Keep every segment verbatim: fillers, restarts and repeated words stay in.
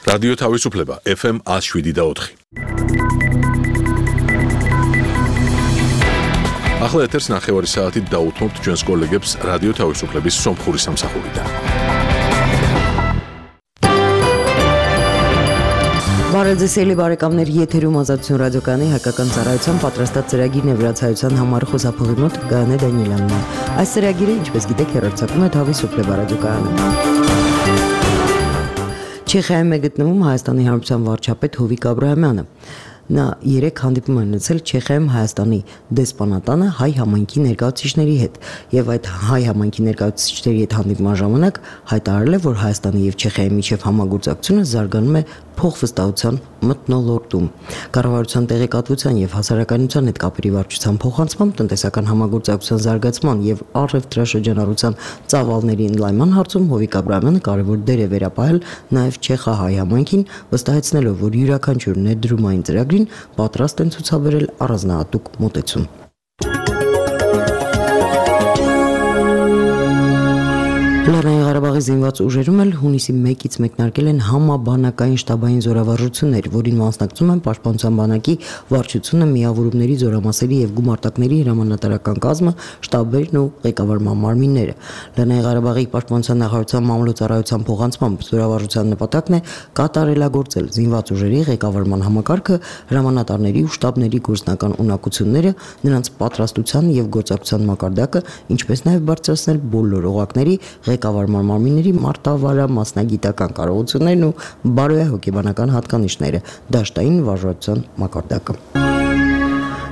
Radio Თავისუფლება F M one oh seven და ოთხი. ახლა ეთერს ნახევარი საათით დაუთმობთ ჩვენს კოლეგებს რადიო თავისუფლების სომხური სამსახურიდან. Բարեձեւելի բարեկամներ, եթերում ազատություն ռադիոկայանի հայկական ծառայության պատրաստած ծրագիրն է վրացայության համար խոսափողի մոտ Գայանե Դանիելյանն է։ Այս ծրագիրը, ինչպես գիտեք, հեռարձակում է Თავისუფლება ռադիոկայանը։ Չեխիայում է գտնվում Հայաստանի Հանրապետության վարչապետ Հովիկ Աբրահամյանը։ Նա երեք հանդիպում է ունեցել Չեխիայում Հայաստանի դեսպանատանը հայ համայնքի ներկայացուցիչների հետ եւ այդ հայ համայնքի ներկայացուցիչների հետ հանդիպման ժամանակ հայտարարել է, որ Հայաստանի եւ Չեխիայի միջև համագործակցությունը զարգանում է փոխվստահության մթնոլորտում։ Կառավարության տեղեկատվության եւ հասարակայնության հետ կապերի վարչության փոխանցմամբ տնտեսական համագործակցության զարգացման եւ առևտրաշրջանառության ծավալների ընդլայնման հարցում Հովիկ Աբրահամյանը կարևոր դեր է վերապահել նաեւ Չեխահայ համայնքին, վստահեցնելով, որ յուրաքանչյուր ներդրումային ծրագրին պատրաստ են ցուցաբերել առանձնահատուկ մոտեցում։ Լեռնային Ղարաբաղի զինված ուժերում էլ հունիսի մեկից մեկնարկել են համաբանակային շտաբային զորավարժություններ, որին մասնակցում են Պաշտպանության բանակի վարչությունը, միավորումների զորամասերի եւ գումարտակների հրամանատարական կազմը, շտաբերն ու ղեկավարման մարմինները։ Լեռնային Ղարաբաղի Պաշտպանության նախարարության մամլոյցարայության փոխանցմամբ զորավարժության նպատակն է կատարելագործել զինված ուժերի ղեկավարման համակարգը, հրամանատարների ու շտաբների գործնական ունակությունները, նրանց պատրաստության եւ գործակցության մակարդակը, ինչպես նաեւ բարձրացնել բոլոր օղակների ղեկավարման մարմինների մարտավարը մասնագիտական կարողություններն ու բարոյահոգեբանական հատկանիշները, դաշտային վարժության մակարդակը։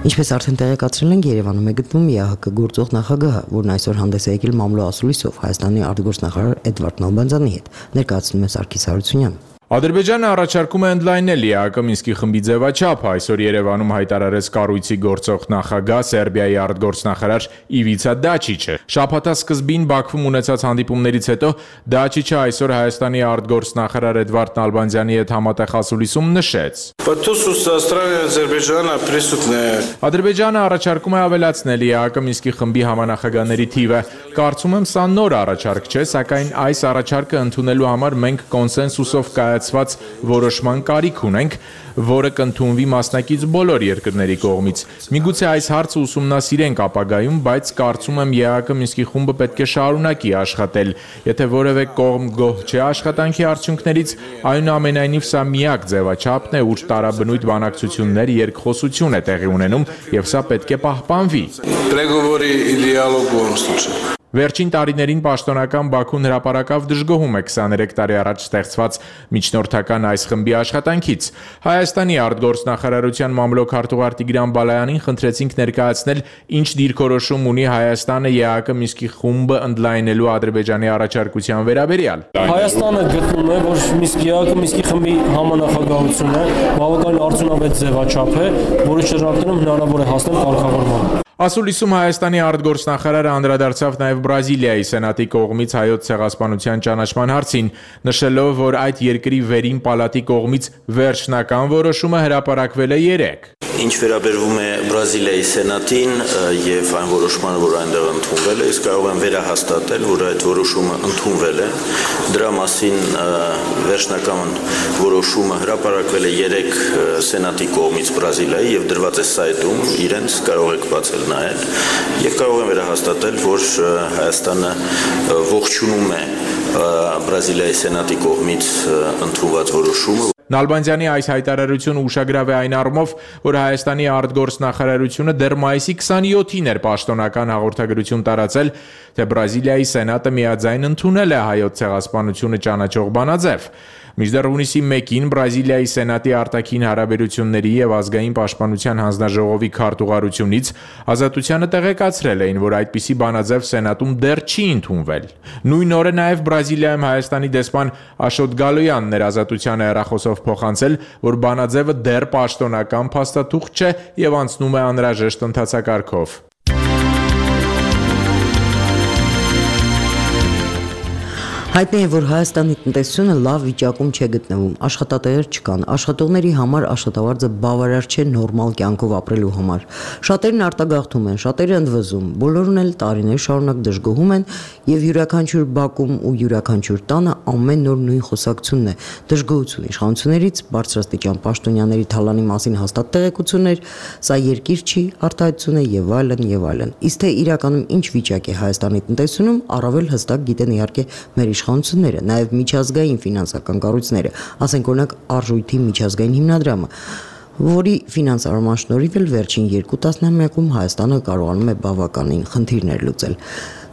Ինչպես արդեն տեղեկացրել ենք, Երևանում է գտնվում Ե Ահ Կը գործող նախագահը, որն այսօր հանդես է եկել մամլո ասուլիսով Հայաստանի արտգործնախարար Էդվարդ Նալբանդյանի հետ, ներկայացնում է Սարգիս Հարությունյանը։ Ադրբեջանը առաջարկում է ընդլայնել Ե Ա Կը Մինսկի խմբի ձևաչափը, այսօր Երևանում հայտարարեց կառույցի գործող նախագահ Սերբիայի արտգործնախարար Իվիցա Դաչիչը։ Շաբաթասկզբին Բաքվում ունեցած հանդիպումներից հետո Դաչիչը այսօր Հայաստանի արտգործնախարար Էդվարդ Նալբանդյանի հետ համատեղ ասուլիսում նշեց. Ադրբեջանը առաջարկում է ավելացնել Ե Ա Կը Մինսկի խմբի համանախագահների թիվը։ Կարծում եմ սա նոր առաջարկ չէ, սակայն այս առաջարկը ընդունելու համար մենք կոնսենսուսով կայացված որոշման կարիք ունենք, որը կընդունվի մասնակից բոլոր երկրների կողմից։ Միգուցե այս հարցը ուսումնասիրենք ապագայում, բայց կարծում եմ Ե Ա Կը Մինսկի խումբը պետք է շարունակի աշխատել։ Եթե որևէ կողմ գոհ չէ աշխատանքի արդյունքներից, այնուամենայնիվ սա միակ ձևաչափն է, ուր տարաբնույթ բանակցություններ, երկխոսություն է տեղի ունենում, եւ սա պետք է պահպանվի։ Վերջին տարիներին պաշտոնական Բաքուն հրապարակավ դժգոհում է քսաներեք տարի առաջ ստեղծված միջնորդական այս խմբի աշխատանքից։ Հայաստանի արտգործնախարարության մամլոք արտուղար Տիգրան Բալայանին խնդրեցինք ներկայացնել, ինչ դիրքորոշում ունի Հայաստանը Ե Ա Կը Մինսկի խումբը ընդլայնելու Ադրբեջանի առաջարկության վերաբերյալ։ Հայաստանը գտնում է, որ Մինսկի Ե Ա Կը Մինսկի խմբի համանախագահությունը բավական արդյունավետ ձևաչափ է, որի շրջանակում հնարավոր է հասնել կարգավորման։ Ասուլիսում Հայաստանի արտգործնախարարը անդրադարձավ նաև Բրազիլիայի սենատի կողմից հայոց ցեղասպանության ճանաչման հարցին, նշելով, որ այդ երկրի վերին պալատի կողմից վերջնական որոշումը հրապարակվել է երեկ։ Ինչ վերաբերվում է Բրազիլիայի սենատին եւ այն որոշմանը, որ այնտեղ ընդունվել է, իսկ կարող եմ վերահաստատել, որ այդ որոշումը ընդունվել է։ Դրա մասին վերջնական որոշումը հրապարակվել է երեկ սենատի կողմից Բրազիլիայի եւ դրված է սայթում, իրենց կարող եք բացել նայել եւ կարող եմ վերահաստատել, որ Հայաստանը ողջունում է Բրազիլիայի սենատի կողմից ընդունված որոշումը։ Նալբանդյանի այս հայտարարությունը ուշագրավ է այն առումով, որ Հայաստանի արտգործնախարարությունը դեռ մայիսի քսանյոթին էր պաշտոնական հաղորդագրություն տարածել, թե Բրազիլիայի սենատը միաձայն ընդունել է հայոց ցեղասպանությունը ճանաչող բանաձև։ Մինչդեռ հունիսի մեկին Բրազիլիայի սենատի արտաքին հարաբերությունների եւ ազգային պաշտպանության հանձնաժողովի քարտուղարությունից Ազատությանը տեղեկացրել էին, որ այդպիսի բանաձև սենատում դեռ չի ընդունվել։ Նույն օրը նաեւ Բրազիլիայում Հայաստանի դեսպան Աշոտ Գալոյանն էր Ազատությանը հեռախոսով փոխանցել, որ բանաձևը դեռ պաշտոնական փաստաթուղթ չէ եւ անցնում է անհրաժեշտ ընթացակարգով։ Հայտնի է, որ Հայաստանի տնտեսությունը լավ վիճակում չէ գտնվում, աշխատատեղեր չկան, աշխատողների համար աշխատավարձը բավարար չէ նորմալ կյանքով ապրելու համար։ Շատերն արտագաղթում են, շատերը ընդվզում, բոլորն էլ տարիներ շարունակ դժգոհում են եւ յուրաքանչյուր բակում ու յուրաքանչյուր տանը ամեն նոր նույն խոսակցությունն է՝ դժգոհություն իշխանություններից, բարձրաստիճան պաշտոնյաների թալանի մասին հաստատ տեղեկություններ, սա երկիր չի, արտահայտություն է եւ այլն եւ այլն։ Իսկ թե իրականում ինչ վիճակ է Հայաստանի տնտեսությունում, առավել հստակ գիտեն իհարկե մեր իշխանությունները, նաև միջազգային ֆինանսական կառույցները, ասենք օրինակ Արժույթի միջազգային հիմնադրամը, որի ֆինանսավորման շնորհիվ էլ վերջին երկու տասնամյակում Հայաստանը կարողանում է բավականին խնդիրներ լուծել։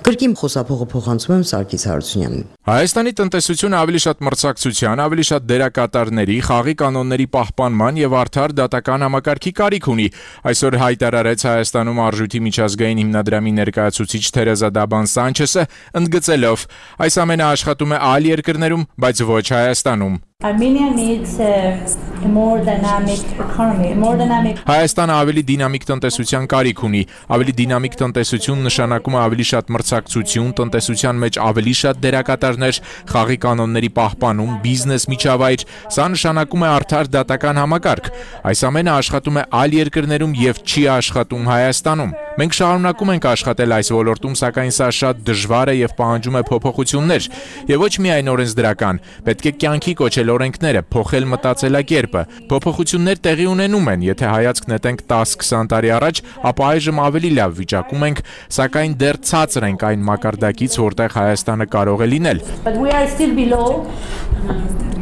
Կրկին խոսափողը փոխանցում եմ Սարգիս Հարությունյանին։ Հայաստանի տնտեսությունը ավելի շատ մրցակցության, ավելի շատ դերակատարների, խաղի կանոնների պահպանման եւ արդար դատական համակարգի կարիք ունի։ Այսօր հայտարարեց Հայաստանում Արժույթի միջազգային հիմնադրամի ներկայացուցիչ Թերեզա Դաբան Սանչեսը, ընդգծելով. այս ամենը աշխատում է այլ երկրներում, բայց ոչ Հայաստանում։ Armenia needs a, a more dynamic economy, a more dynamic Հայաստանը ավելի դինամիկ տնտեսության կարիք ունի, ավելի դինամիկ տնտեսություն նշանակում է ավելի շատ մրցակցություն, տնտեսության մեջ ավելի շատ դերակատարներ, խաղի կանոնների պահպանում, բիզնես միջավայր, սա նշանակում է արդար դատական համակարգ։ Այս ամենը աշխատում է այլ երկրներում եւ չի աշխատում Հայաստանում։ Մենք շարունակում ենք աշխատել այս ոլորտում, սակայն սա շատ դժվար է եւ պահանջում է փոփոխություններ, եւ ոչ միայն օրենսդրական, պետք է կյանքի կոչել օրենքները, փոխել մտածելակերպը։ Փոփոխություններ տեղի ունենում են, եթե հայացք նետենք տասը-քսան տարի առաջ, ապա այժմ ավելի լավ վիճակում ենք, սակայն դեռ ցածր ենք այն մակարդակից, որտեղ Հայաստանը կարող է լինել։ But we are still below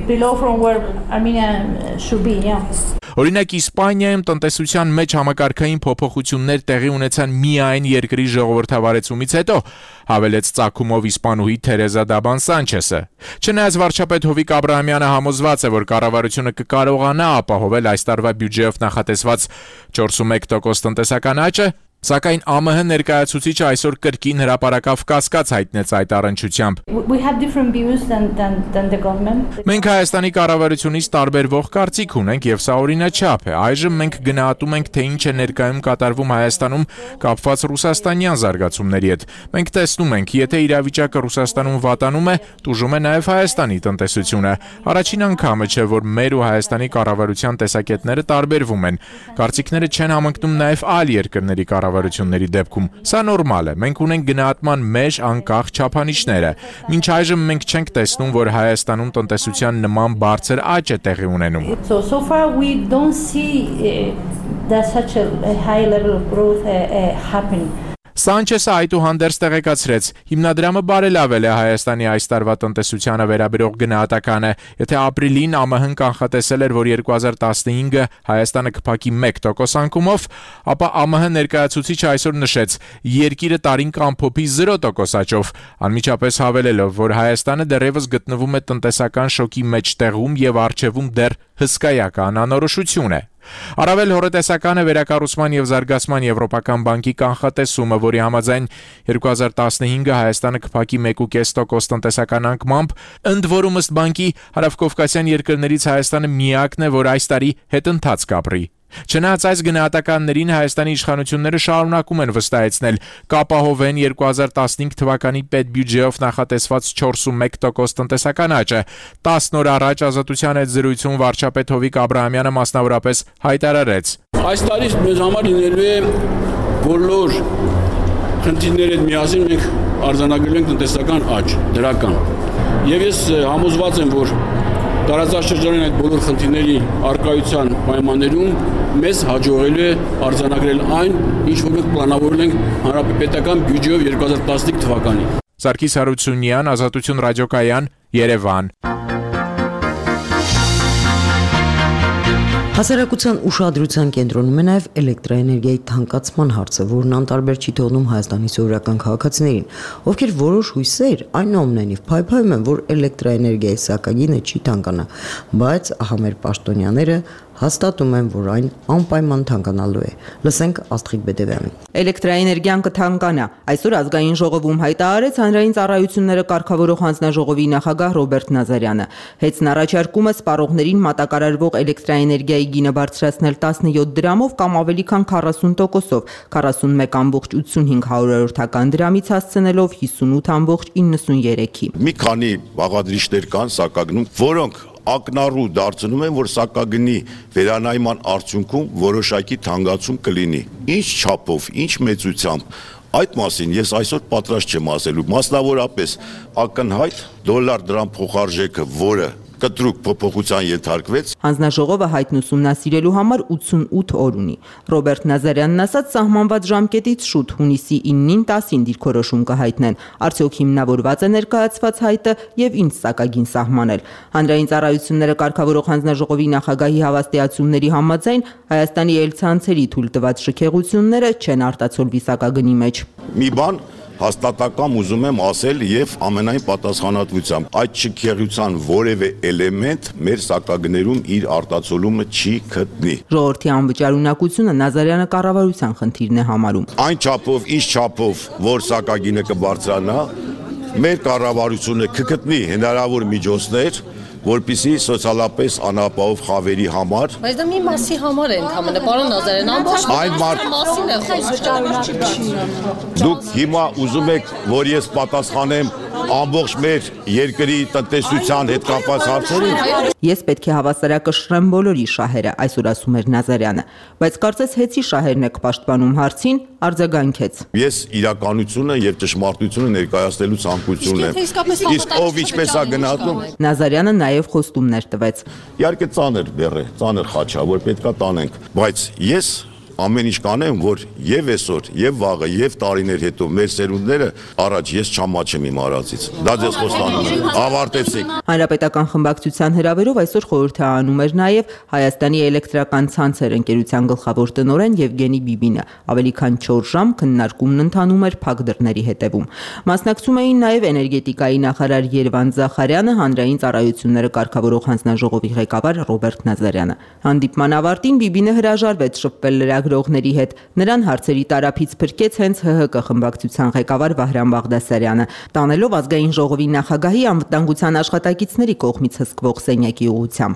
below from where Armenia should be, yeah. Օրինակ Իսպանիայում տնտեսության մեջ համակարգային փոփոխություններ տեղի ունեցան միայն երկրի ժողովրդավարեցումից հետո, հավելեց ծագումով իսպանուհի Թերեզա Դաբան Սանչեսը։ Չնայած վարչապետ Հովիկ Աբրահամյանը համոզված է, որ կառավարությունը կկարողանա ապահովել այս տարվա բյուջեով նախատեսված չորսունմեկ տոկոս տնտեսական աճը, սակայն ԱՄՀ ներկայացուցիչը այսօր կրկին հրապարակավ կասկած հայտնեց այդ առնչությամբ։ We have different views than than than the government. Մենք Հայաստանի կառավարությունից տարբերվող կարծիք ունենք եւ սա օրինաչափ է։ Այժմ մենք գնահատում ենք, թե ինչ է ներկայում կատարվում Հայաստանում կապված ռուսաստանյան զարգացումների հետ։ Մենք տեսնում ենք, եթե իրավիճակը Ռուսաստանում վատանում է, տուժում է նաեւ Հայաստանի տնտեսությունը։ Առաջին անգամը չէ, որ մեր ու Հայաստանի կառավարության տեսակետները տարբերվում են։ Կարծիքները չեն համընկնում նաեւ այլ երկրների կառավարությունների դեպքում։ Սա նորմալ է։ Մենք ունենք գնահատման մեջ անկախ չափանիշները։ Մինչ այժմ մենք չենք տեսնում, որ Հայաստանում տնտեսության նման բարձր աճ է տեղի ունենում։ So so far we don't see uh, that such a, a high level of growth uh, uh, happening. Սանչեսը այդուհանդերձ տեղեկացրեց. հիմնադրամը բարելավել է Հայաստանի այս տարվա տնտեսությանը վերաբերող գնահատականը, եթե ապրիլին ԱՄՀ-ն կանխատեսել էր, որ երկու հազար տասնհինգը Հայաստանը կփակի մեկ տոկոս անկումով, ապա ԱՄՀ ներկայացուցիչը այսօր նշեց. երկիրը տարին կամփոփի զիրո տոկոս աճով, անմիջապես հավելելով, որ Հայաստանը դեռևս գտնվում է տնտեսական շոկի մեջտեղում եւ առջևում դեռ հսկայական անորոշություն է։ Առավել հորետեսական է վերակառուցման եւ զարգացման Եվրոպական բանկի կանխատեսումը, որի համաձայն երկու հազար տասնհինգը Հայաստանը կփակի մեկ կես տոկոս տնտեսական անկմամբ, ընդ որում ըստ բանկի հարավկովկասյան երկրներից Հայաստանը միակն է, որ այս տարի հետընթաց կապրի։ Չնայած այս գնահատականներին Հայաստանի իշխանությունները շարունակում են վստահեցնել կապահովեն երկու հազար տասնհինգ թվականի պետբյուջեով նախատեսված չորսունմեկ տոկոս տնտեսական աճը։ տասը օր առաջ Ազատության հետ զրույցում վարչապետ Հովիկ Աբրահամյանը մասնավորապես հայտարարեց. Այս տարի մեզ համար լինելու է բոլոր խնդիրների հետ միասին մենք արձանագրելու ենք տնտեսական աճ, դրական։ Եվ ես համոզված եմ, որ տարածաշրջանային այդ բոլոր խնդիրների առկայության պայմաններում մեզ հաջողելու է արձանագրել այն, ինչ որ մենք պլանավորել ենք հանրապետական բյուջեով երկու հազար տասնհինգ թվականին։ Սարգիս Հարությունյան, Ազատություն ռադիոկայան, Երևան։ Հասարակության ուշադրության կենտրոնում է նաև էլեկտրաէներգիայի թանկացման հարցը, որն անտարբեր չի թողնում Հայաստանի սովորական քաղաքացիներին, ովքեր որոշ հույսեր այնուամենայնիվ փայփայում են, որ էլեկտրաէներգիայի սակագինը չի թանկանա, բայց ահա մեր պաշտոնյաները հաստատում են, որ այն անպայման թանկանալու է։ Լսենք Աստղիկ Բեդևյանին։ Էլեկտրաէներգիան կթանկանա։ Այսօր ազգային ժողովում հայտարարեց հանրային ծառայությունները կարգավորող հանձնաժողովի նախագահ Ռոբերտ Նազարյանը։ Հետն առաջարկում է սպառողներին մատակարարվող էլեկտրաէներգիայի գինը բարձրացնել տասնյոթ դրամով կամ ավելի քան քառասուն տոկոսով, քառասունմեկ ամբողջ ութսունհինգ հարյուրորդական դրամից հասցնելով հիսունութ ամբողջ իննսուներեքի։ Մի քանի բաղադրիչներ կան սակագնում, որոնք ակնառու դարձնում են, որ սակագնի վերանայման արդյունքում որոշակի թանկացում կլինի։ Ինչ չափով, ինչ մեծությամբ, այդ մասին ես այսօր պատրաստ չեմ ասելու, մասնավորապես ակնհայտ դոլար դրամ փոխարժեքը, որը կտրուկ փոփոխության ենթարկվեց։ Հանձնաժողովը հայտն ուսումնասիրելու համար ութսունութ օր ունի։ Ռոբերտ Նազարյանն ասաց, սահմանված ժամկետից շուտ հունիսի իննին տասին դիրքորոշում կհայտնեն։ Արդյոք հիմնավորված է ներկայացված հայտը եւ ինչ սակագին սահմանել։ Հանրային ծառայությունները կարգավորող հանձնաժողովի նախագահի հավաստիացումների համաձայն Հայաստանի ելցանցերի թույլ տված շքեղությունները չեն արտացոլվի սակագնի մեջ։ Մի բան հաստատակամ ուզում եմ ասել եւ ամենայն պատասխանատվությամբ այդ շքեղության որևէ էլեմենտ մեր սակագներում իր արտացոլումը չի գտնի։ Ժողովրդի անվճար ունակությունը Նազարյանը կառավարության խնդիրն է համարում։ Այն չափով, ինչ չափով, որ սակագինը կբարձրանա, մեր կառավարությունը կգտնի հնարավոր միջոցներ, որպեսզի սոցիալապես անապահով խավերի համար։ Բայց դա մի մասի համար է ընդհանրապես, պարոն Նազարյան, ամբողջ մասին է խոսքը։ Դուք հիմա ուզում եք, որ ես պատասխանեմ ամբողջ մեր երկրի տնտեսության հետ կապված հարցերին։ Ես պետք է հավասարակշռեմ բոլորի շահերը, այսօր ասում էր Նազարյանը, բայց կարծես հեծի շահերն եք պաշտպանում հարցին, արձագանքեց։ Ես իրականությունը եւ ճշմարտությունը ներկայացնելու ցանկություն ունեմ։ Իսկ ով ինչպես է գնահատում։ Նազարյանը նաեւ խոստումներ տվեց։ Իհարկե ծանր բեռ է, ծանր խաչ է, որ պետքա տանենք, բայց ես ամեն ինչ կանեմ, որ եւ այսօր, եւ վաղը, եւ տարիներ հետո մեր սերունդները առաջ ես չամաչեմ իմ արածից։ Դա ձեզ խոստանում եմ։ Ավարտեցիք։ Հանրապետական խմբակցության հրավերով այսօր խորհրդանում էր նաեւ Հայաստանի էլեկտրական ցանցեր ընկերության գլխավոր տնօրեն Եվգենի Բիբինը։ Ավելի քան չորս ժամ քննարկումն ընթանում էր փակ դռների հետևում։ Մասնակցում էին նաեւ էներգետիկայի նախարար Երվանդ Զախարյանը, հանրային ծառայությունները կարգավորող հանձնաժողովի ղեկավար Ռոբերտ Նազարյանը։ Հանդիպման ավարտին Բիբինը հրաժարվեց շփվել լրագրողների հետ։ Նրան հարցերի տարափից փրկեց հենց ՀՀԿ խմբակցության ղեկավար Վահրամ Բաղդասարյանը, տանելով ազգային ժողովի նախագահի անվտանգության աշխատակիցների կողմից հսկվող սենյակի ուղղությամբ։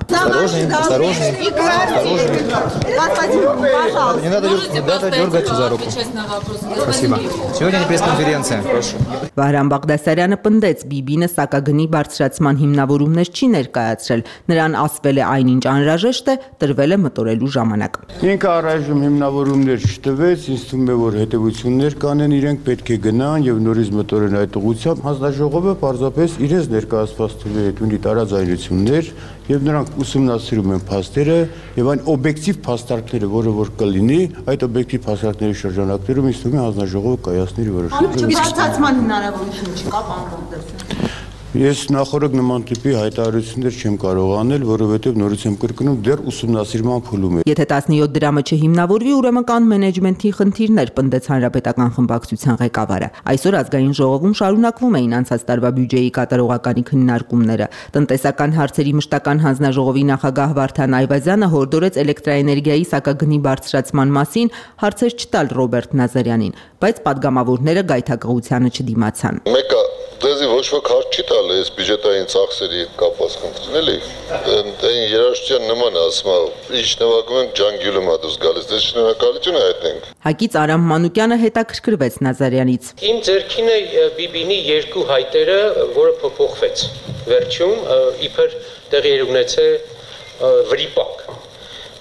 Վահրամ Բաղդասարյանը պնդեց, Բիբինը սակագնի բարձրացման հիմնավորումներ չի ներկայացրել։ Նրան ասվել է այնինչ անհրաժեշտ է, տրվել է մտորելու ժամանակ։ Ինքը առայժմ հիմնավորումներ չտվեց, ինձ թվում է, որ հետևություններ կանեն, իրենք պետք է գնան եւ նորից մտորեն այդ ուղղությամբ։ Հանձնաժողովը պարզապես իրենց ներկայացված թվի հետ ունի տարաձայնություններ եւ նրանք ուսումնասիրում են փաստերը եւ այն օբյեկտիվ փաստարկները, որը որ կլինի, այդ օբյեկտիվ փաստարկների շրջանակներում ինձ թվում է հանձնաժողովը կայացնի որոշումը։ Իսկ ցածման հնարավորություն չկա, պարոն Բաղդասարյան։ Ես նախորդ նման տիպի հայտարարություններ չեմ կարող անել, որովհետև նորից եմ կրկնում, դեռ ուսումնասիրման փուլում է։ Եթե տասնյոթ դրամը չհիմնավորվի, ուրեմն կան մենեջմենթի խնդիրներ, պնդեց Հանրապետական խմբակցության ղեկավարը։ Այսօր ազգային ժողովում շարունակվում էին անցած տարվա բյուջեի կատարողականի քննարկումները։ Տնտեսական հարցերի մշտական հանձնաժողովի նախագահ Վարդան Այվազյանը հորդորեց էլեկտրաէներգիայի սակագնի բարձրացման մասին հարցեր չտալ Ռոբերտ Նազարյանին, բայց падգամավորները գայթակղությանը չդիմացան։ Մեկը դեզի ոչ ոք հարց չի տալ այս բյուջետային ծախսերի կապված խնդրին, էլի։ Այն երաժշտության նման ասում է, ինչ նվագում ենք ջանգյուլում ա դուրս գալիս, դες շնորհակալություն հայտնենք։ Հակից Արամ Մանուկյանը հետաքրքրվեց Նազարյանից։ Իմ ձեռքին է Բիբինի երկու հայտերը, որը փոփոխվեց։ Վերջում իբր տեղի ունեցե վրիպակ։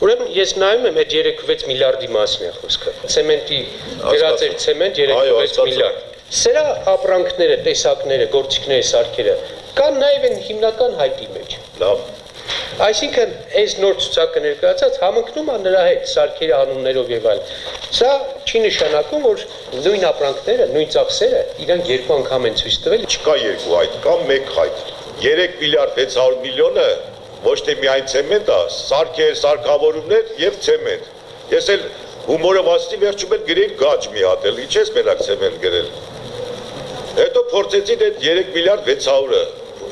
Ուրեմն ես նայում եմ այդ երեք վեց միլիարդի մասին է խոսքը։ Ցեմենտի վերածեր ցեմենտ երեք վեց միլիարդ։ Սրա ապրանքները, տեսակները, գործիքները, սարքերը կան նաև այն հիմնական հայտի մեջ։ Լավ։ Այսինքն այս նոր ցուցակը ներկայացած համընկնում է նրա հետ սարքերի անուններով եւ այլն։ Սա չի նշանակում, որ նույն ապրանքները, նույն ծախսերը իրանք երկու անգամ են ցույց տվել։ Չկա երկու հայտ, կա մեկ հայտ։ երեք միլիարդ վեց հարյուր միլիոնը ոչ թե միայն ցեմենտ է, սարքեր, սարքավորումներ եւ ցեմենտ։ Ես էլ հումորով ասի վերջում էլ գրեի գաճ մի հատ էլ, ինչ ես մենակ ցեմենտ գրել։ Հետո փորձեցին այդ երեք միլիարդ վեց հարյուրը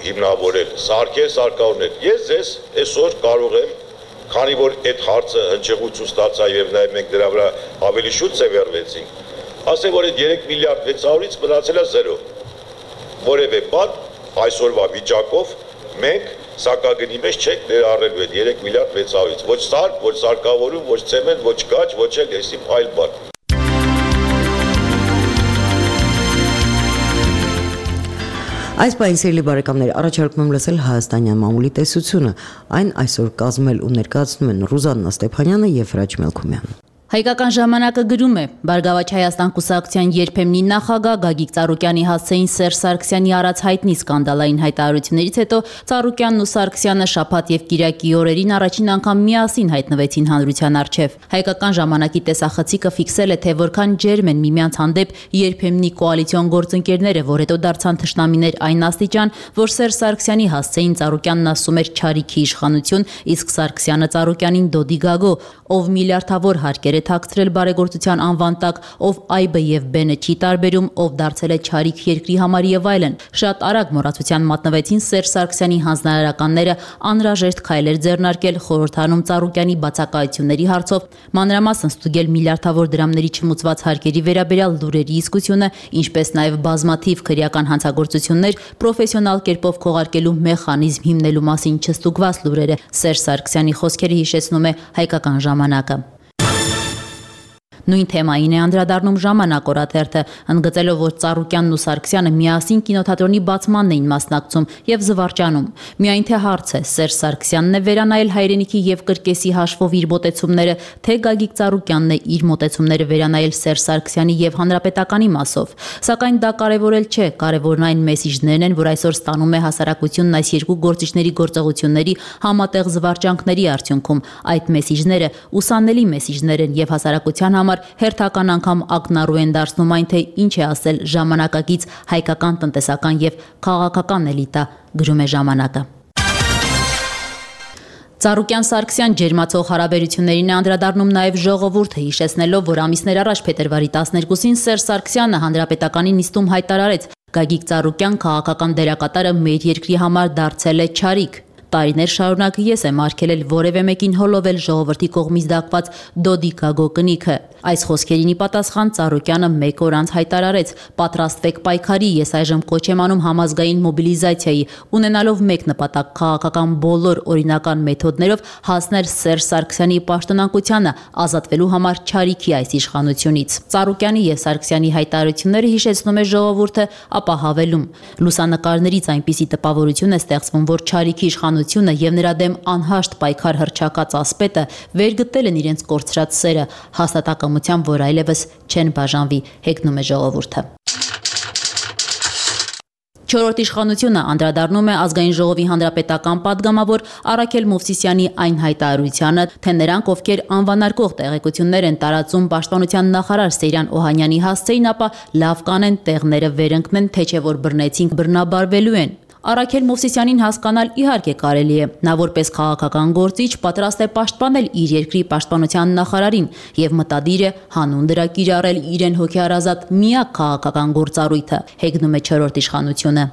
հիմնավորել, սարքեր, սարքավորներ։ Ես ձեզ այսօր կարող եմ քանի որ այդ հարցը հնչեղություն ստացա եւ նաեւ մենք դրա վրա ավելի շուտ ձևեռվեցինք, ասեմ որ այդ երեք միլիարդ վեցսունից մնացել է զերո։ Որևէ բան այսօրվա վիճակով մենք սակագնի մեջ չենք ներառելու այդ երեք միլիարդ վեցսունից։ Ոչ սարք, ոչ սարքավորում, ոչ ցեմենտ, ոչ գաչ, ոչ էլ այսիմ այլ բան։ Այս բանի սիրելի բարեկամներ, առաջարկում եմ լսել հայաստանյան մամուլի տեսությունը։ Այն այսօր կազմել ու ներկայացնում են Ռուզաննա Ստեփանյանը եւ Հրաչ Մելքումյանը։ Հայկական ժամանակը գրում է. Բարգավաճ Հայաստան կուսակցության երբեմնի նախագահ Գագիկ Ծառուկյանի հասցեին Սերժ Սարգսյանի արած հայտնի սկանդալային հայտարարություններից հետո Ծառուկյանն ու Սարգսյանը շաբաթ եւ կիրակի օրերին առաջին անգամ միասին հայտնվեցին հանրության առջև։ Հայկական ժամանակի տեսախցիկը ֆիքսել է, թե որքան ջերմ են միմյանց հանդեպ երբեմնի կոալիցիոն գործընկերները, որ հետո դարձան թշնամիներ այն աստիճան, որ Սերժ Սարգսյանի հասցեին Ծառուկյանն ասում էր չարիքի իշխանություն, իսկ Սարգսյանը Ծառուկյանին դոդի գագո, ով միլիարդավոր հարկեր թաքցրել բարեգործության անվան տակ, ով այբը եւ բենը չի տարբերում, ով դարձել է չարիք երկրի համար եւ այլն։ Շատ արագ մոռացության մատնվեցին Սերժ Սարգսյանի հանձնարարականները անհրաժեշտ քայլեր ձեռնարկել խորհրդանում Ծառուկյանի բացակայությունների հարցով, մանրամասն ստուգել միլիարդավոր դրամների չմուծված հարկերի վերաբերյալ լուրերի իսկությունը, ինչպես նաեւ բազմաթիվ քրեական հանցագործություններ պրոֆեսիոնալ կերպով քողարկելու մեխանիզմ հիմնելու մասին չստուգված լուրերը։ Սերժ Սարգսյանի խոսքերը հիշեցնում է Հայկական ժամանակը։ Նույն թեմային է անդրադառնում Ժամանակ օրաթերթը, ընդգծելով, որ Ծառուկյանն ու Սարգսյանը միասին կինոթատրոնի բացմանն էին մասնակցում եւ զվարճանում։ Միայն թե հարց է, Սերժ Սարգսյանն է վերանայել հայրենիքի եւ կրկեսի հաշվով իր մոտեցումները, թե Գագիկ Ծառուկյանն է իր մոտեցումները վերանայել Սերժ Սարգսյանի եւ Հանրապետականի մասով։ Սակայն դա կարեւորել չէ, կարեւորն այն մեսիջներն են, որ այսօր ստանում է հասարակությունն այս երկու գործիչների գործողությունների համատեղ զվարճանքների արդյունքում։ Այդ մեսիջները ուսանելի մեսիջներ են եւ հասարակության համար հերթական անգամ ակնառու են դարձնում այն, թե ինչ է ասել ժամանակակից հայկական տնտեսական եւ քաղաքական էլիտա, գրում է Ժամանակը։ Ծառուկյան-Սարգսյան ջերմացող հարաբերություններին է անդրադառնում նաև ժողովուրդը, հիշեցնելով, որ ամիսներ առաջ փետրվարի տասներկուսին Սերժ Սարգսյանը Հանրապետականի նիստում հայտարարեց. Գագիկ Ծառուկյան քաղաքական դերակատարը մեր երկրի համար դարձել է չարիք։ Տարիներ շարունակ ես եմ արգելել որևէ մեկին հոլովել ժողովրդի կողմից դակված դոդի գագո կնիքը։ Այս խոսքերին ի պատասխան Ծառուկյանը մեկ օր անց հայտարարեց. պատրաստվեք պայքարի, ես այժմ կոչ եմ անում համազգային մոբիլիզացիայի, ունենալով մեկ նպատակ քաղաքական բոլոր օրինական մեթոդներով հասնել Սերժ Սարգսյանի պաշտոնակությանը, ազատվելու համար չարիքի այս իշխանությունից։ Ծառուկյանի եւ Սարգսյանի հայտարարությունները հիշեցնում է ժողովուրդը, ապա հավելում. լուսանկարներից այնպիսի տպավորություն է ստեղծվում, որ չարիքի իշխանությունը եւ նրա դեմ անհաշտ պայքար հռչակած ասպետը վերգտել են իրենց կորցրած սերը, հաստատակամությամբ, որ այլևս չեն բաժանվի, հեգնում է ժողովուրդը։ Չորրորդ իշխանությունը անդրադառնում է ազգային ժողովի հանրապետական պատգամավոր Արաքել Մովսիսյանի այն հայտարարությանը, թե նրանք, ովքեր անվանարկող տեղեկություններ են տարածում պաշտպանության նախարար Սեյրան Օհանյանի հասցեին, ապա լավ կանեն տեղները վերընկնեն, թե չէ որ բռնեցինք բռնաբարվելու են։ Արաքել Մովսիսյանին հասկանալ իհարկե կարելի է, նա որպես քաղաքական գործիչ պատրաստ է պաշտպանել իր երկրի պաշտպանության նախարարին եւ մտադիր է հանուն դրա կիրառել իրեն հոգեարազատ միակ քաղաքական գործառույթը, հեգնում է չորրորդ իշխանությունը։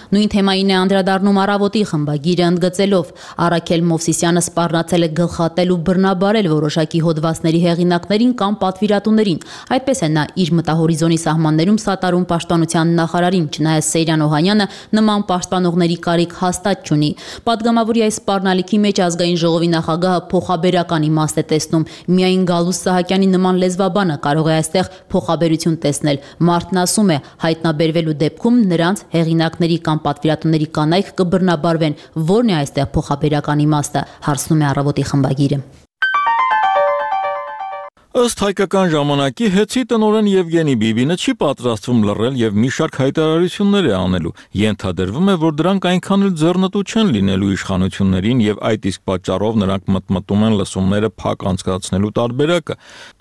Նույն թեմային է անդրադառնում Առավոտի խմբագիրը, ընդգծելով. Արաքել Մովսիսյանը սպառնացել է գլխատել ու բռնաբարել որոշակի հոդվածների հեղինակներին կամ պատվիրատուներին։ Այդպես է նա իր մտահորիզոնի սահմաններում սատարում պաշտպանության նախարարին, չնայած Սեյրան Օհանյանը նման պաշտպանողների կարիք հաստատ չունի։ Պատգամավորի այս սպառնալիքի մեջ ազգային ժողովի նախագահը փոխաբերական իմաստ է տեսնում։ Միայն Գալուս Սահակյանի նման լեզվաբանը կարող է այստեղ փոխաբերություն տեսնել։ Մարդն ասում է, հայտնաբերվելու դեպքում նրանց հեղինակների կամ պատվիրատուների կանայք կբռնաբարվեն, որն է այստեղ փոխաբերական իմաստը, հարցնում է Առավոտի խմբագիրը։ Ըստ Հայկական ժամանակի հեծի տնօրեն Եվգենի Բիբինը չի պատրաստվում լռել եւ մի շարք հայտարարություններ է անելու։ Ենթադրվում է, որ դրանք այնքան էլ ձեռնտու չեն լինելու իշխանություններին եւ այդ իսկ պատճառով նրանք մտմտում են լսումները փակ անցկացնելու տարբերակը։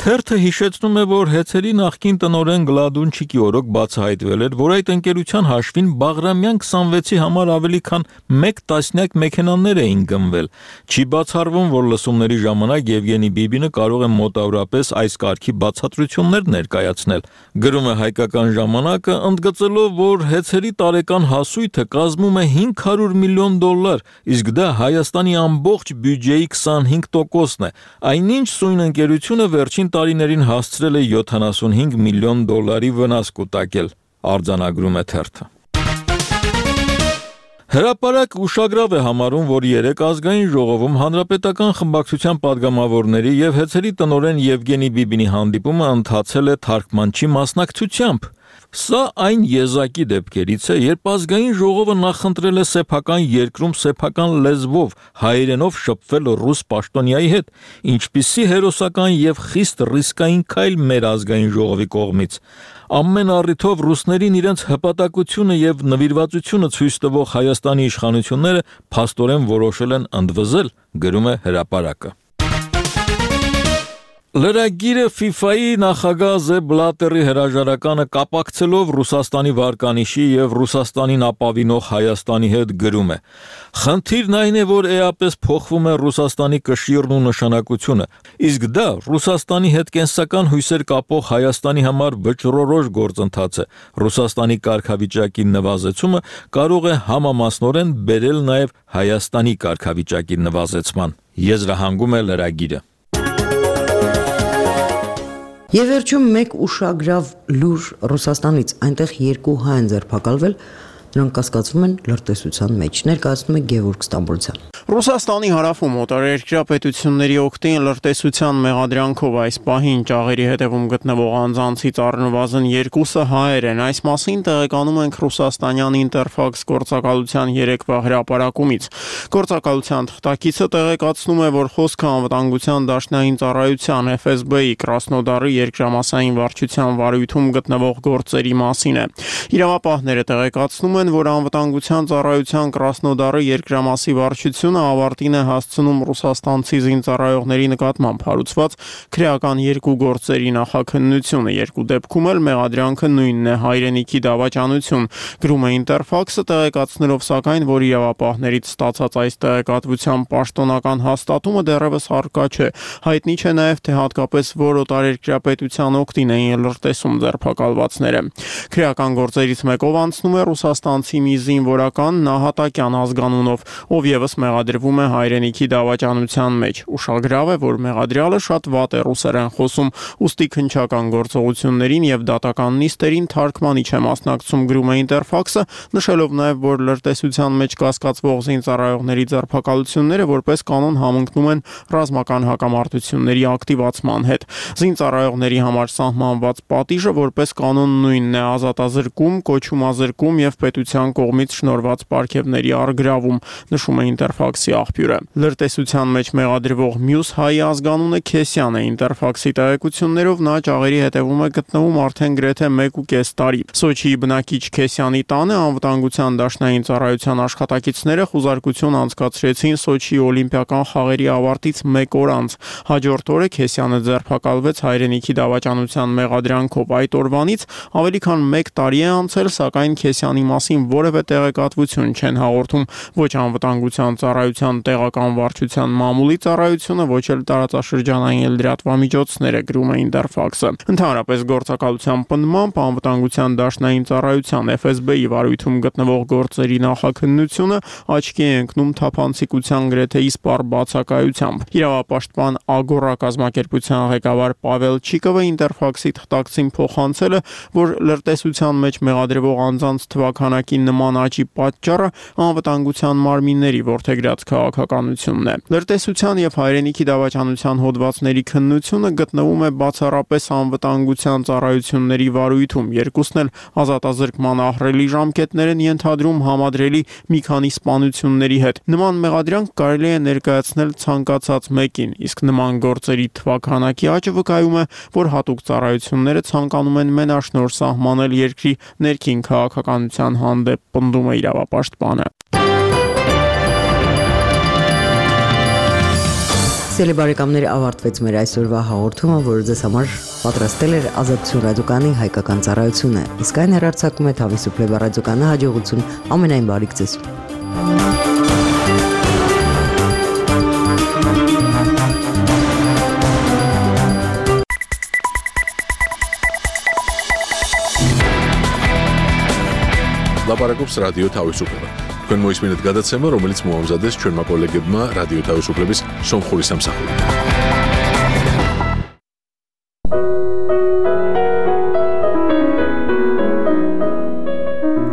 Թերթը հիշեցնում է, որ հեծերի նախկին տնօրեն Գլադունչիկի օրոք բացահայտվել էր, որ այդ ընկերության հաշվին Բաղրամյան քսանվեցի համար ավելի քան մեկ տասնյակ մեքենաներ էին գնվել։ Չի բացառվում, որ լսումների ժամանակ Եվգենի Բիբինը կարող է մոտավորապես ևս այս կարգի բացատրություններ ներկայացնել։ Գրում է Հայկական ժամանակը, ընդգծելով, որ հեծերի տարեկան հասույթը կազմում է հինգ հարյուր միլիոն դոլար, իսկ դա Հայաստանի ամբողջ բյուջեի քսանհինգ տոկոսն է։ Այնինչ սույն ընկերությունը վերջին տարիներին հասցրել է յոթանասունհինգ միլիոն դոլարի վնաս կուտակել, արձանագրում է թերթը։ Հրապարակ ուշագրավ է համարում, որ երեք ազգային ժողովում հանրապետական խմբակցության падգամավորների եւ հեծերի տնօրեն Եվգենի Բիբինի հանդիպումը ընթացել է թարգմանչի մասնակցությամբ։ Սա այն եզակի դեպքերից է, երբ ազգային ժողովը նախընտրել է սեփական երկրում սեփական լեզվով հայերենով շփվել ռուս պաշտոնյայի հետ, ինչպիսի հերոսական եւ խիստ ռիսկային քայլ մեր ազգային ժողովի կողմից։ Ամեն առիթով ռուսներին իրենց հպատակությունը եւ նվիրվածությունը ցույց տվող Հայաստանի իշխանությունները փաստորեն որոշել են ընդվզել, գրում է Հրապարակը։ Լրագիրը FIFA-ի նախագահ Զեփ Բլատերի հրաժարականը կապակցելով Ռուսաստանի վարկանիշի եւ Ռուսաստանին ապավինող Հայաստանի հետ գրում է. Խնդիրն այն է, որ էապես փոխվում է Ռուսաստանի կշիռն ու նշանակությունը, իսկ դա Ռուսաստանի հետ կենսական հույսեր կապող Հայաստանի համար վճռորոշ գործընթաց է։ Ռուսաստանի կարգավիճակի նվազեցումը կարող է համամասնորեն բերել նաեւ Հայաստանի կարգավիճակի նվազեցման։ Եզրահանգում է լրագիրը։ Եվ վերջում մեկ ուշագրավ լուր Ռուսաստանից, այնտեղ երկու հայ են ձերբակալվել, նրանք կասկածվում են լրտեսության մեջ, ներկայացնում է Գևորգ Ստամբոլցյան։ Ռուսաստանի հարավում օտարերկրյա պետությունների օգտին լրտեսության մեղադրանքով այս պահին ճաղերի հետևում գտնվող անձանցից առնվազն երկուսը հայեր են։ Այս մասին տեղեկանում ենք ռուսաստանյան Ինտերֆաքս գործակալության երեկվա հրապարակումից։ Գործակալության թղթակիցը տեղեկացնում է, որ խոսքը անվտանգության դաշնային ծառայության Էֆ Էս Բի-ի Կրասնոդարի երկրամասային վարչության վարույթում գտնվող գործերի մասին է։ Իրավապահները տեղեկացնում են, որ անվտանգության ծառայության Կրասնոդարի երկրամասի վարչությունը ավարտին է հասցնում ռուսաստանցի զինծառայողների նկատմամբ հարուցված քրեական երկու գործերի նախաքննությունը։ Երկու դեպքում էլ մեղադրանքը նույնն է՝ հայրենիքի դավաճանություն, գրում է Ինտերֆաքսը, տեղեկացնելով սակայն, որ իրավապահներից ստացած այս տեղեկատվության պաշտոնական հաստատումը դեռևս առկա չէ։ Հայտնի չէ նաև, թե հատկապես որ օտարերկրյա պետության օգտին էին լրտեսում ձերբակալվածները։ Քրեական գործերից մեկով անցնում է ռուսաստանցի մի զինվորական Նահատակյան ազգանունով, ով ևս մեղադրվում է հայրենիքի դավաճանության մեջ։ Ուշագրավ է, որ մեղադրյալը շատ վատ է ռուսերեն խոսում, ուստի քննչական գործողություններին եւ դատական նիստերին թարգմանիչ է մասնակցում, գրում է Ինտերֆաքսը, նշելով նաեւ, որ լրտեսության մեջ կասկածվող զինծառայողների ձերբակալությունները որպես կանոն համընկնում են ռազմական հակամարտությունների ակտիվացման հետ։ Զինծառայողների համար սահմանված պատիժը որպես կանոն նույնն է՝ ազատազրկում, կոչումազրկում եւ պետության կողմից շնորհված պարգևների առգրավում, նշում է Ինտերֆաքսի աղբյուրը։ Լրտեսության մեջ մեղադրվող մյուս հայ ազգանունը Քեսյան է։ Ինտերֆաքսի տեղեկություններով նա ճաղերի հետևում է գտնվում արդեն գրեթե մեկ ու կես տարի։ Սոչիի բնակիչ Քեսյանի տանը անվտանգության դաշնային ծառայության աշխատակիցները խուզարկություն անցկացրեցին Սոչիի օլիմպիական խաղերի ավարտից մեկ օր անց։ Հաջորդ օրը Քեսյանը ձերբակալվեց հայրենիքի դավաճանության մեղադրանքով։ Այդ օրվանից ավելի քան մեկ տարի է անցել, սակայն Քեսյանի մասին որևէ տեղեկատվություն չեն հաղորդում ոչ անվտանգության ծառայության տեղական վարչության մամուլի ծառայությունը, ոչ էլ տարածաշրջանային լրատվամիջոցները, գրում է Ինտերֆաքսը։ Ընդհանրապես գործակալության պնդմամբ անվտանգության դաշնային ծառայության Էֆ Էս Բի-ի վարույթում գտնվող գործերի նախաքննությունը աչքի է ընկնում թափանցիկության գրեթե իսպառ բացակայությամբ։ Իրավապաշտպան Ագորա կազմակերպության ղեկավար Պավել Չիկովը Ինտերֆաքսի թղթակցին փոխանցել է, որ լրտեսության մեջ մեղադրվող անձանց թվաքանակի նման աճի պատճառը անվտանգության մարմինների որդեգրած քաղաքականությունն է։ Լրտեսության եւ հայրենիքի դավաճանության հոդվածների քննությունը գտնվում է բացառապես անվտանգության ծառայությունների վարույթում։ Երկուսն էլ ազատազրկման ահռելի ժամկետներ են ենթադրում համադրելի մի քանի սպանությունների հետ։ Նման մեղադրանք կարելի է ներկայացնել ցանկացած մեկին, իսկ նման գործերի թվաքանակի աճը վկայում է, որ հատուկ ծառայությունները ցանկանում են մենաշնորհ սահմանել երկրի ներքին քաղաքականության հանդեպ, պնդում է իրավապաշտպանը։ Սիրելի բարեկամներ, ավարտվեց մեր այսօրվա հաղորդումը, որը ձեզ համար պատրաստել էր Ազատություն ռադիոկայանի հայկական ծառայությունը։ Իսկ այն հեռարձակում է Թավիսուփլեբա ռադիոկայանը, հաջողություն, ամենայն բարիք ձեզ։ ლაპარაკობს რადიო თავისუფლება. თქვენ მოისმინეთ გადაცემა, რომელიც მოამზადეს ჩვენმა კოლეგებმა რადიო თავისუფლების სომხური სამსახური.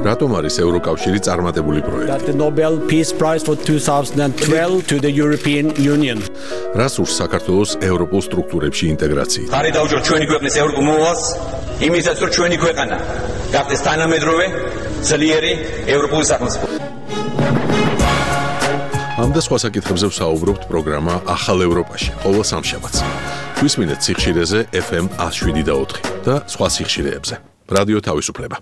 რატომ არის ევროკავშირი წარმატებული პროექტი? That the Nobel Peace Prize for twenty twelve to the European Union. რას ურს საქართველოს ევროპულ სტრუქტურებში ინტეგრაცია? ხარი დაუჭირ ჩვენი ქვეყნის ევროპულ მოვალს, იმისაც რომ ჩვენი ქვეყანა გახდეს თანამედროვე, ძლიერი ევროპული სახელმწიფო. ამ და სხვა საკითხებზე ვსაუბრობთ პროგრამა ახალ ევროპაში, ყოველ სამშაბათს. გვისმინეთ სიხშირეზე ეფ ემ one oh seven და ოთხი და სხვა სიხშირეებზე. რადიო თავისუფლება.